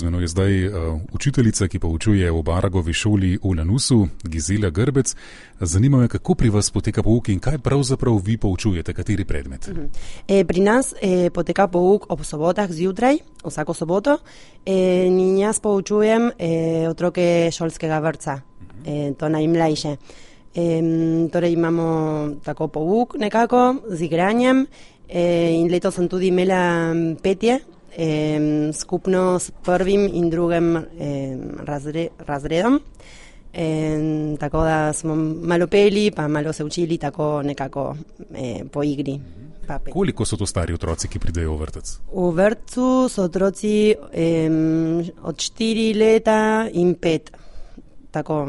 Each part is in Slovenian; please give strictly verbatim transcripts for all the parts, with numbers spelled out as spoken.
Z menoj je zdaj uh, učiteljica, ki poučuje v Baragovi šoli v Lanusu, Gizela Grbec. Zanima me, kako pri vas poteka pouk in kaj pravzaprav vi poučujete, kateri predmet? Uh-huh. E, pri nas e, poteka pouk ob sobotah zjutraj, vsako soboto, e, in jaz poučujem e, otroke šolskega vrtca, uh-huh. e, to najmlajše. E, torej imamo tako pouk nekako z igranjem e, in letos sem tudi imela petje, e, skupno s prvim in drugim e, razre, razredom. E, tako da smo malo peli, pa malo se učili tako nekako e, po igri. Koliko so to stari otroci, ki pridejo v vrtec? V vrtcu so otroci e, od štiri leta in pet, tako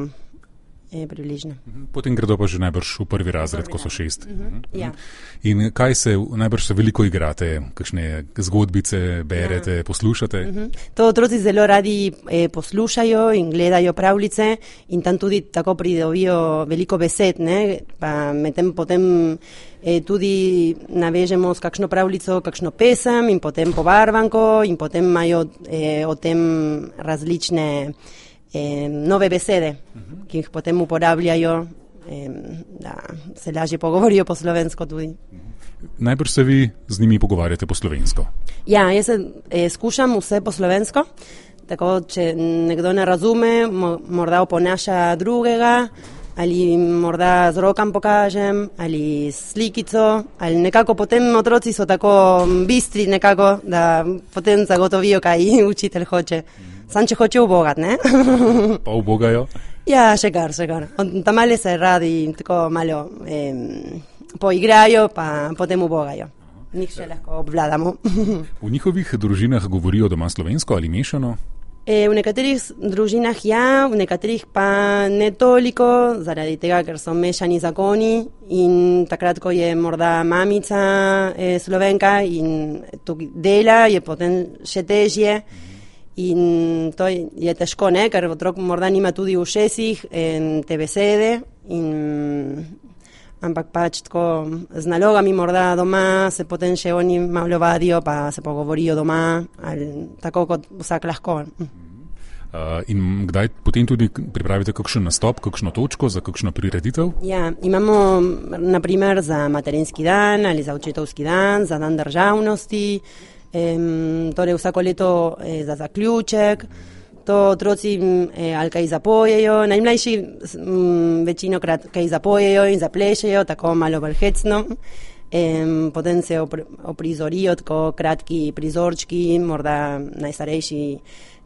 je približno. Potem gredo pa že najbrž v prvi razred, ko so šest. Uh-huh. Ja. In kaj se, najbrž se veliko igrate, kakšne zgodbice berete, ja. poslušate? Uh-huh. To otroci zelo radi eh, poslušajo in gledajo pravljice in tam tudi tako pridobijo veliko besed, ne? Pa medtem potem eh, tudi navežemo s kakšno pravljico, kakšno pesem in potem pobarvanko in potem imajo eh, o tem različne Eh, nove besede, uh-huh. ki jih potem uporabljajo, eh, da se lažje pogovorijo po slovensko tudi. Uh-huh. Najbrž se vi z njimi pogovarjate po slovensko? Ja, jaz se eh, skušam vse po slovensko, tako če nekdo ne razume, mo- morda oponaša drugega, ali morda z rokom pokažem, ali slikico, ali nekako potem otroci so tako bistri nekako, da potem zagotovijo, kaj učitelj hoče. Sam če hoče ubogat, ne? Pa ubogajo? Ja, še kar, še kar. Tam male se radi tako malo eh, poigrajo, pa potem ubogajo. Njih še lahko obvladamo. V njihovih družinah govorijo doma slovensko ali mešano? E, v nekaterih družinah ja, v nekaterih pa ne toliko, zaradi tega, ker so mešani zakoni in takrat, ko je morda mamica e, Slovenka in tukaj dela, je potem še težje. In to je težko, ne? Ker otrok morda nima tudi v šesih te besede, in, ampak pač tako z nalogami morda doma se potem še oni malo vadijo, pa se pogovorijo doma, ali, tako kot vsak lahko. Uh, in kdaj potem tudi pripravite kakšen nastop, kakšno točko za kakšno prireditev? Ja, imamo naprimer za materinski dan ali za očetovski dan, za dan državnosti, Um, torej vsako leto eh, za zaključek, to otroci eh, ali kaj zapojejo, najmlajši m, večinokrat kaj zapojejo in zaplešejo, tako malo bolj hecno, um, potem se opr- oprizorijo tako kratki prizorčki, morda najstarejši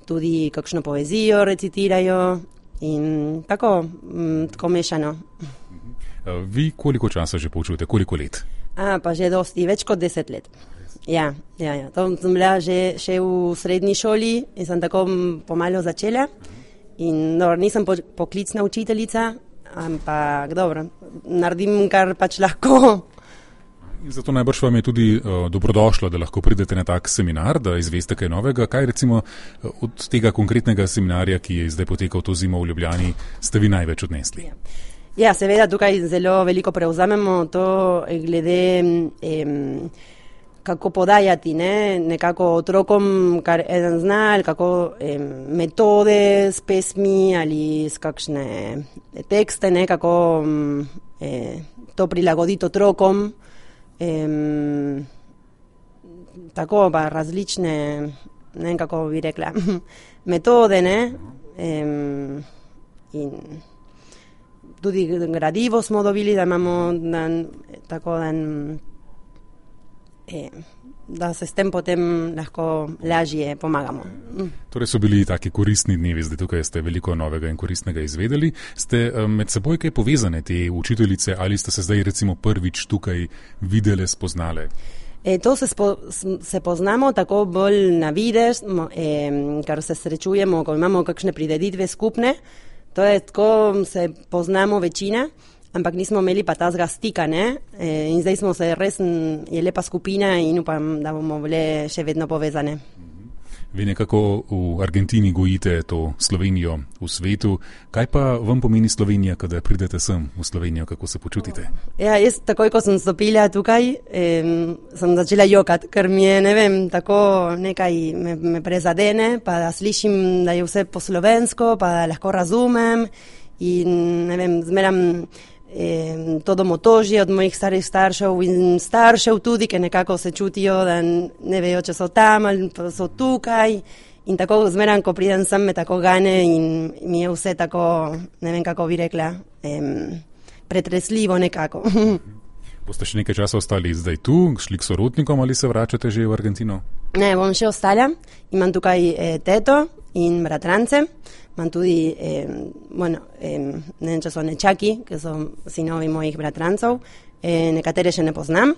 tudi kakšno poezijo recitirajo in tako, m, tako mešano. Vi koliko časa že poučujete, koliko let? A, pa že dosti, več kot deset let. Ja, ja, ja. To sem bila že, še v srednji šoli in sem tako pomalo začela. In dobro, nisem po, poklicna učiteljica, ampak dobro, naredim kar pač lahko. In zato najbrž vam je tudi uh, dobrodošlo, da lahko pridete na tak seminar, da izveste kaj novega. Kaj recimo od tega konkretnega seminarja, ki je zdaj potekal to zimo v Ljubljani, ste vi največ odnesli? Ja. Ja, seveda tukaj zelo veliko prevzamemo to glede em, kako podajati, ne, nekako otrokom, kar eden zna, ali kako em, metode s pesmi ali s kakšne tekste, ne, kako eh, to prilagoditi otrokom, em, tako pa različne, ne, kako bi rekla, metode, ne, em, in tudi gradivo smo dobili, da imamo dan, tako dan, eh, da se s tem potem lahko lažje pomagamo. Torej so bili taki koristni dnevi, zdaj tukaj ste veliko novega in koristnega izvedeli. Ste um, med seboj kaj povezane te učiteljice ali ste se zdaj recimo prvič tukaj videle, spoznale? E, to se, spo, se poznamo tako bolj na videz, eh, kar se srečujemo, ko imamo kakšne prireditve skupne. To je tako, se poznamo večina, ampak nismo imeli pa tazga stika, ne? E, in zdaj smo se res, je lepa skupina in upam, da bomo bile še vedno povezane. Vi nekako v Argentini gojite to Slovenijo v svetu. Kaj pa vam pomeni Slovenija, kada pridete sem v Slovenijo, kako se počutite? Ja, jaz takoj, ko sem stopila tukaj, eh, sem začela jokat, ker mi je, ne vem, tako nekaj me, me prezadene, pa da slišim, da je vse po slovensko, pa da lahko razumem in, ne vem, zmeram eh, to domotožje od mojih starih staršev in staršev tudi, ki nekako se čutijo, da ne vejo, če so tam ali pa so tukaj. In tako zmeram, ko pridem sem, me tako gane in mi je vse tako, ne vem, kako bi rekla, em, pretresljivo nekako. Boste še nekaj časa ostali zdaj tu, šli k sorodnikom ali se vračate že v Argentino? Ne, bom še ostala. Imam tukaj eh, teto in bratrance. Imam tudi, eh, bueno, eh, ne vem, če so nečaki, ki so sinovi mojih bratrancov. Eh, nekatere še ne poznam,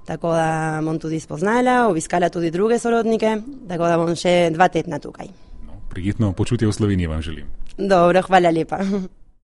tako da bom tudi spoznala, obiskala tudi druge sorodnike, tako da bom še dva tedna tukaj. No, prijetno počutje v Sloveniji vam želim. Dobro, hvala lepa.